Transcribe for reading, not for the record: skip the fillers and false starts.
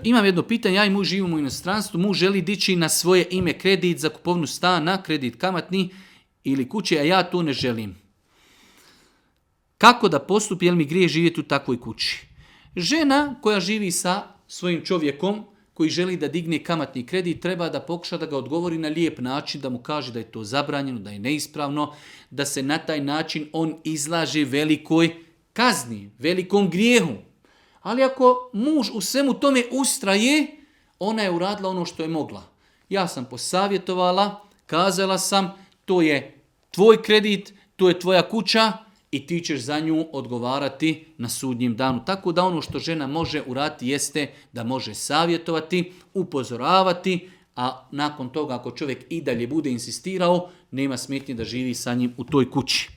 Imam jedno pitanje, ja i muž živimo u inostranstvu, muž želi dići na svoje ime kredit za kupovnu stana, kredit kamatni ili kuće, a ja to ne želim. Kako da postupi, jel mi grije živjeti u takvoj kući? Žena koja živi sa svojim čovjekom, koji želi da digne kamatni kredit, treba da pokuša da ga odgovori na lijep način, da mu kaže da je to zabranjeno, da je neispravno, da se na taj način on izlaže velikoj kazni, velikom grijehu. Ali ako muž u svemu tome ustraje, ona je uradila ono što je mogla. Ja sam posavjetovala, kazala sam, to je tvoj kredit, to je tvoja kuća i ti ćeš za nju odgovarati na sudnjem danu. Tako da ono što žena može uraditi jeste da može savjetovati, upozoravati, a nakon toga ako čovjek i dalje bude insistirao, nema smetnje da živi sa njim u toj kući.